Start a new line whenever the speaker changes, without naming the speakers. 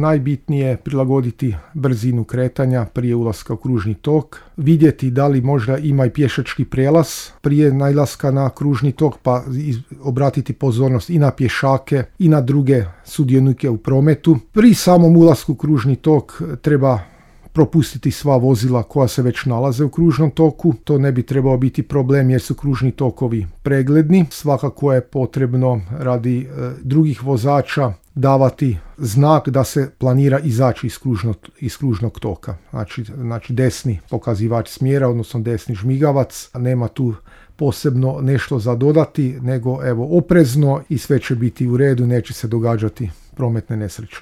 najbitnije je prilagoditi brzinu kretanja prije ulaska u kružni tok, vidjeti da li možda ima i pješački prijelaz prije nailaska na kružni tok, pa obratiti pozornost i na pješake i na druge sudionike u prometu. Pri samom ulasku u kružni tok treba propustiti sva vozila koja se već nalaze u kružnom toku. To ne bi trebao biti problem jer su kružni tokovi pregledni. Svakako je potrebno radi drugih vozača davati znak da se planira izaći iz kružnog toka. Znači desni pokazivač smjera, odnosno desni žmigavac. Nema tu posebno nešto za dodati, nego oprezno i sve će biti u redu, neće se događati prometne nesreće.